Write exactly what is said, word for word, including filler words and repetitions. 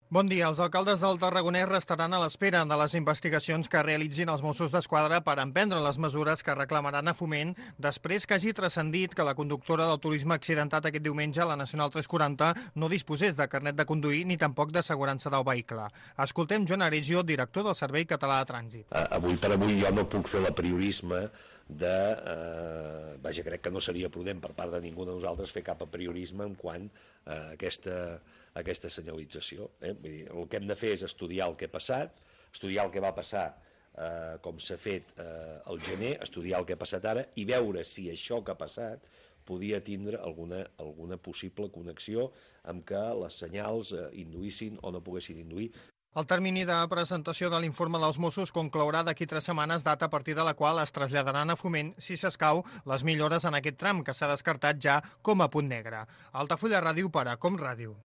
Bon dia. Els alcaldes del Tarragonès restaran a l'espera de les investigacions que realitzin els Mossos d'Esquadra per emprendre les mesures que reclamaran a Foment després que hagi transcendit que la conductora del turisme accidentat aquest diumenge a la Nacional tres quaranta no disposés de carnet de conduir ni tampoc d'assegurança del vehicle. Escoltem Joan Aregio, director del Servei Català de Trànsit. Uh, avui per avui jo no puc fer l'apriorisme de... Eh, vaja, crec que no seria prudent per part de ningú de nosaltres fer cap apriorisme en quant a aquesta, a aquesta senyalització. Eh? Vull dir, el que hem de fer és estudiar el que ha passat, estudiar el que va passar eh, com s'ha fet eh, al gener, estudiar el que ha passat ara i veure si això que ha passat podia tindre alguna, alguna possible connexió amb que les senyals eh, induïssin o no poguessin induir. El termini de presentació de l'informe dels Mossos conclourà d'aquí tres setmanes, data a partir de la qual es traslladaran a Foment, si s'escau, les millores en aquest tram que s'ha descartat ja com a punt negre. Altafulla Ràdio per a Com Ràdio.